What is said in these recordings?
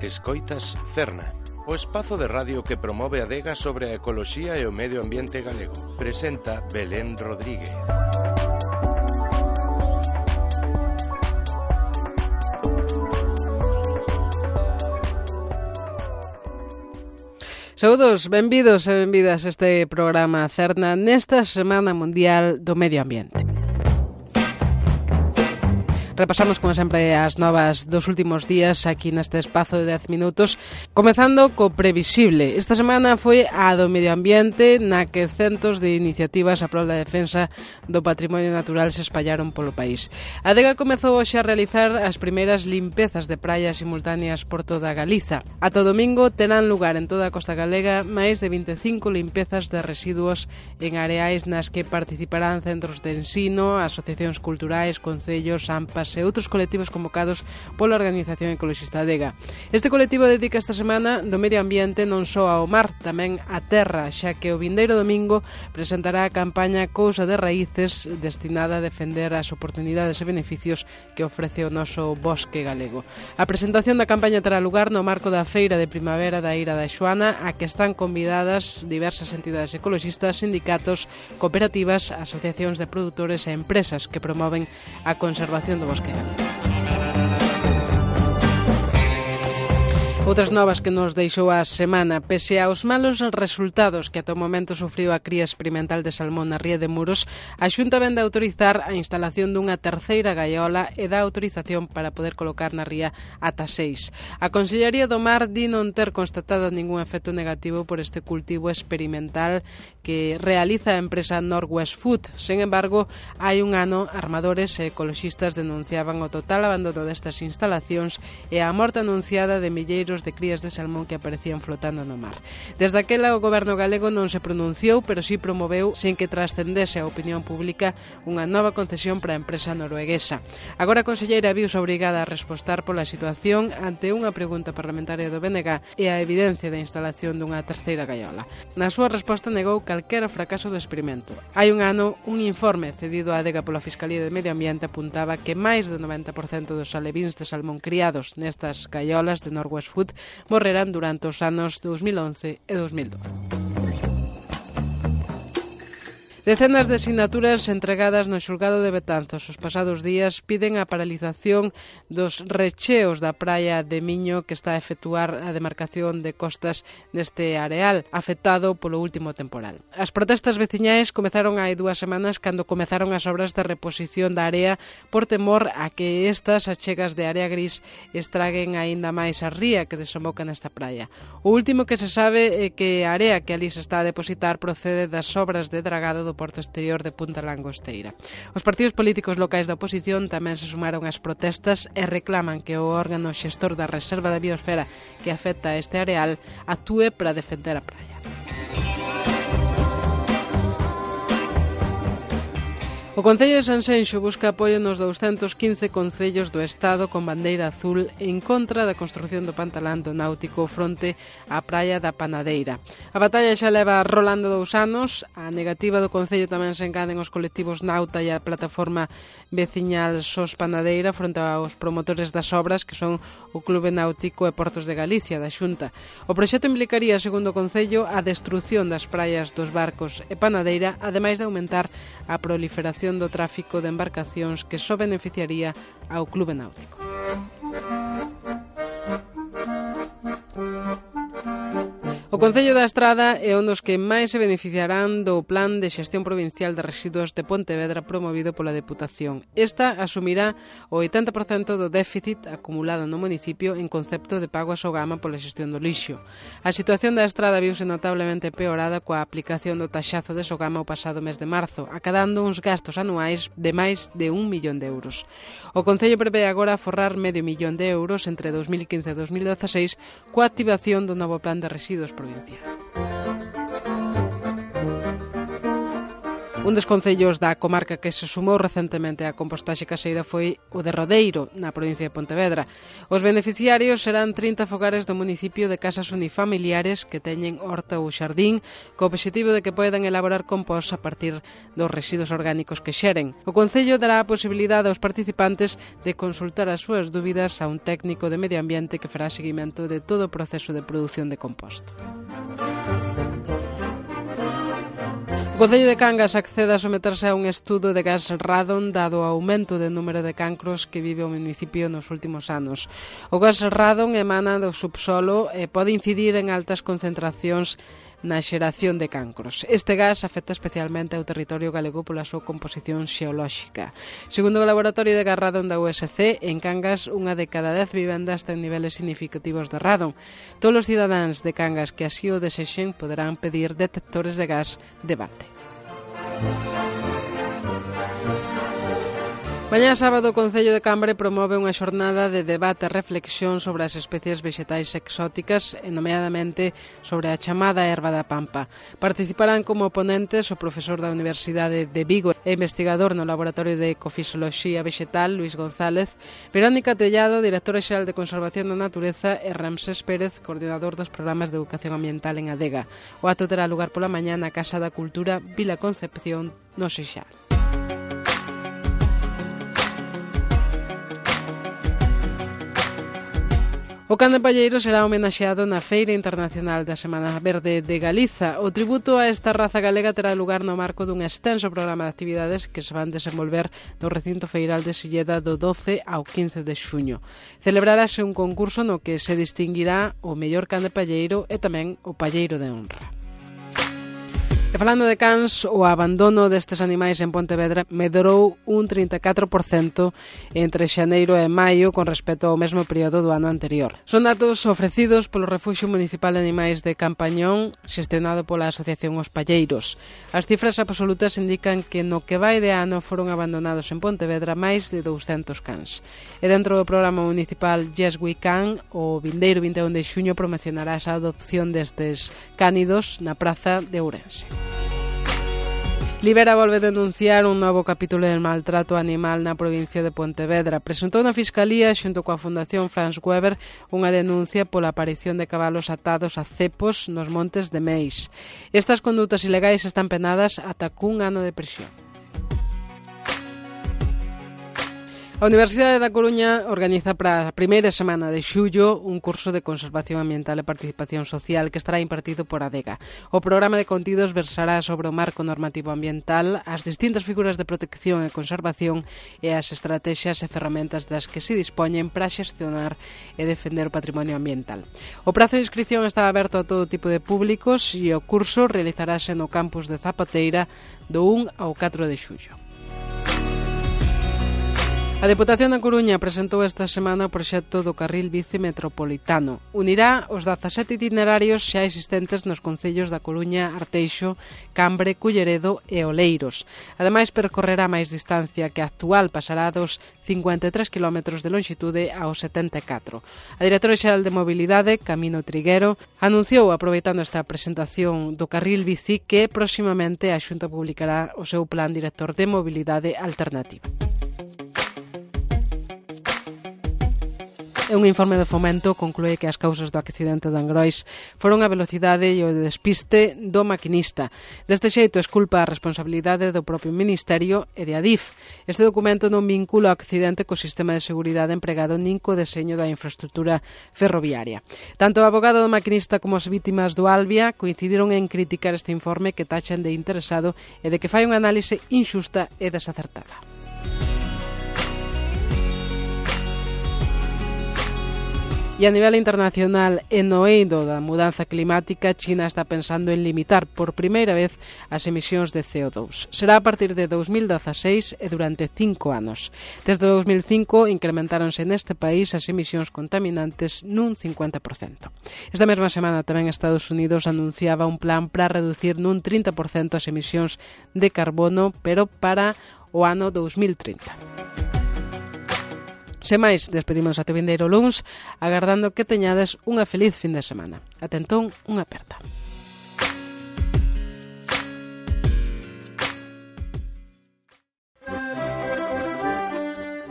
Escoitas Cerna, o espazo de radio que promove a adega sobre a ecoloxía e o medio ambiente galego. Presenta Belén Rodríguez. Saúdos, benvidos e benvidas a este programa Cerna nesta Semana Mundial do Medio Ambiente. Repasamos, como sempre, as novas dos últimos días aquí neste espazo de 10 minutos, comezando co previsible. Esta semana foi a do medio ambiente, na que centos de iniciativas a prol da defensa do patrimonio natural se espallaron polo país. A adega comezou hoxe a realizar as primeiras limpezas de praia simultáneas por toda Galiza. Ata o domingo terán lugar en toda a costa galega máis de 25 limpezas de residuos en areais nas que participarán centros de ensino, asociacións culturais, concellos, AMPAs e outros colectivos convocados pola Organización Ecoloxista Adega. Este colectivo dedica esta semana do medio ambiente non só ao mar, tamén á terra, xa que o vindeiro domingo presentará a campaña Cousa de Raíces, destinada a defender as oportunidades e beneficios que ofrece o noso bosque galego. A presentación da campaña terá lugar no marco da Feira de Primavera da Ira da Xoana, a que están convidadas diversas entidades ecoloxistas, sindicatos, cooperativas, asociacións de produtores e empresas que promoven a conservación do bosque. Outras novas que nos deixou a semana. Pese aos malos resultados que ata o momento sufriu a cría experimental de salmón na ría de Muros, a Xunta vende a autorizar a instalación dunha terceira gaiola e dá autorización para poder colocar na ría ata 6. A Consellería do Mar di non ter constatado ningún efecto negativo por este cultivo experimental que realiza a empresa Northwest Food. Sen embargo, hai un ano, armadores e ecoloxistas denunciaban o total abandono destas instalacións e a morte anunciada de milleiros de crías de salmón que aparecían flotando no mar. Desde aquela, o goberno galego non se pronunciou, pero sí promoveu, sen que trascendese a opinión pública, unha nova concesión para a empresa norueguesa. Agora a conselleira viuse obrigada a respostar pola situación ante unha pregunta parlamentaria do BNG e a evidencia da instalación dunha terceira gaiola. Na súa resposta negou calquera fracaso do experimento. Hai un ano, un informe cedido á adega pola Fiscalía de Medio Ambiente apuntaba que máis do 90% dos alevíns de salmón criados nestas gaiolas de Northwest Food morrerán durante os anos 2011 e 2012. Decenas de sinaturas entregadas no xulgado de Betanzos os pasados días piden a paralización dos recheos da praia de Miño que está a efectuar a demarcación de costas neste areal afectado polo último temporal. As protestas veciñais comezaron hai 2 semanas cando comezaron as obras de reposición da area por temor a que estas achegas de área gris estraguen aínda máis a ría que desemboca nesta praia. O último que se sabe é que a area que ali se está a depositar procede das obras de dragado do porto exterior de Punta Langosteira. Os partidos políticos locais da oposición tamén se sumaron ás protestas e reclaman que o órgano xestor da Reserva da Biosfera que afecta a este areal actúe para defender a praia. O Concello de Sanxenxo busca apoio nos 215 concellos do Estado con bandeira azul en contra da construción do pantalante náutico fronte á praia da Panadeira. A batalla xa leva rolando 2 anos. A negativa do Concello tamén se engaden os colectivos Nauta e a plataforma veciñal SOS Panadeira fronte aos promotores das obras que son o Clube Náutico e Portos de Galicia da Xunta. O proxecto implicaría, segundo o Concello, a destrución das praias dos Barcos e Panadeira, ademais de aumentar a proliferación do tráfico de embarcacións que só beneficiaría ao Clube Náutico. O Concello da Estrada é un dos que máis se beneficiarán do Plan de Xestión Provincial de Residuos de Pontevedra promovido pola Deputación. Esta asumirá o 80% do déficit acumulado no municipio en concepto de pago a Sogama pola xestión do lixo. A situación da Estrada viuse notablemente peorada coa aplicación do taxazo de Sogama o pasado mes de marzo, acadando uns gastos anuais de máis de 1 millón de euros. O Concello prevé agora forrar medio millón de euros entre 2015 e 2016 coa activación do novo Plan de Residuos provincial. Un dos concellos da comarca que se sumou recentemente á compostaxe caseira foi o de Rodeiro, na provincia de Pontevedra. Os beneficiarios serán 30 fogares do municipio de casas unifamiliares que teñen horta ou xardín, co obxectivo de que poidan elaborar compost a partir dos residuos orgánicos que xeren. O concello dará a posibilidade aos participantes de consultar as súas dúbidas a un técnico de medio ambiente que fará seguimento de todo o proceso de produción de compost. O Concello de Cangas accede a someterse a un estudo de gas radon dado o aumento de número de cancros que vive o municipio nos últimos anos. O gas radon emana do subsolo e pode incidir en altas concentracións na xeración de cancros. Este gas afecta especialmente ao territorio galego pola súa composición xeolóxica. Segundo o laboratorio de gas radon da USC, en Cangas unha de cada 10 vivendas ten niveles significativos de radon. Todos os cidadáns de Cangas que así o desexen poderán pedir detectores de gas de balde. Mañá sábado o Concello de Cambre promove unha xornada de debate e reflexión sobre as especies vexetais exóticas e nomeadamente sobre a chamada erva da pampa. Participarán como ponentes o profesor da Universidade de Vigo e investigador no Laboratorio de Ecofisioloxía Vexetal, Luis González, Verónica Tellado, directora xeral de Conservación da Natureza e Ramsés Pérez, coordinador dos programas de educación ambiental en Adega. O acto terá lugar pola mañá na Casa da Cultura Vila Concepción, no Seixal. O can de Palleiro será homenaxeado na Feira Internacional da Semana Verde de Galiza. O tributo a esta raza galega terá lugar no marco dun extenso programa de actividades que se van desenvolver no recinto feiral de Silleda do 12 ao 15 de xuño. Celebrarase un concurso no que se distinguirá o mellor can de Palleiro e tamén o palleiro de honra. E falando de cans, o abandono destes animais en Pontevedra medrou un 34% entre xaneiro e maio con respecto ao mesmo período do ano anterior. Son datos ofrecidos polo Refuxio Municipal de Animais de Campañón, xestionado pola Asociación Os Palleiros. As cifras absolutas indican que no que vai de ano foron abandonados en Pontevedra máis de 200 cans. E dentro do programa municipal Yes We Can, o vindeiro 21 de xuño promocionará a adopción destes cánidos na praza de Ourense. Libera volve denunciar un novo capítulo del maltrato animal na provincia de Pontevedra. Presentou na Fiscalía, xunto coa Fundación Franz Weber, unha denuncia pola aparición de cabalos atados a cepos nos montes de Meis. Estas condutas ilegais están penadas ata cun ano de prisión. A Universidade da Coruña organiza para a primeira semana de xullo un curso de conservación ambiental e participación social que estará impartido por Adega. O programa de contidos versará sobre o marco normativo ambiental, as distintas figuras de protección e conservación e as estrategias e ferramentas das que se dispoñen para xestionar e defender o patrimonio ambiental. O prazo de inscripción está aberto a todo tipo de públicos e o curso realizarase no campus de Zapateira do 1 ao 4 de xullo. A Deputación da Coruña presentou esta semana o proxecto do carril bici metropolitano. Unirá os 17 itinerarios xa existentes nos concellos da Coruña, Arteixo, Cambre, Culleredo e Oleiros. Ademais, percorrerá máis distancia que a actual, pasará dos 53 km de longitude aos 74. A directora xeral de Mobilidade, Camino Triguero, anunciou, aproveitando esta presentación do carril bici, que próximamente a Xunta publicará o seu plan director de mobilidade alternativa. Un informe de Fomento conclúe que as causas do accidente de Angrois foron a velocidade e o despiste do maquinista. Deste xeito, esculpa a responsabilidade do propio Ministerio e de Adif. Este documento non vincula o accidente co sistema de seguridade empregado nin co deseño da infraestructura ferroviaria. Tanto o abogado do maquinista como as vítimas do Albia coincidiron en criticar este informe que tachan de interesado e de que fai unha análise inxusta e desacertada. E a nivel internacional, en no eido da mudanza climática, China está pensando en limitar por primeira vez as emisións de CO2. Será a partir de 2016 e durante 5 anos. Desde 2005 incrementáronse neste país as emisións contaminantes nun 50%. Esta mesma semana tamén Estados Unidos anunciaba un plan para reducir nun 30% as emisións de carbono, pero para o ano 2030. Sen máis, despedimos até o vindeiro luns, agardando que teñades unha feliz fin de semana. Ate entón, unha aperta.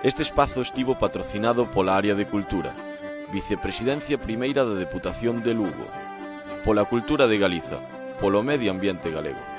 Este espazo estivo patrocinado pola Área de Cultura, Vicepresidencia Primeira da Deputación de Lugo, pola Cultura de Galiza, polo Medio Ambiente Galego.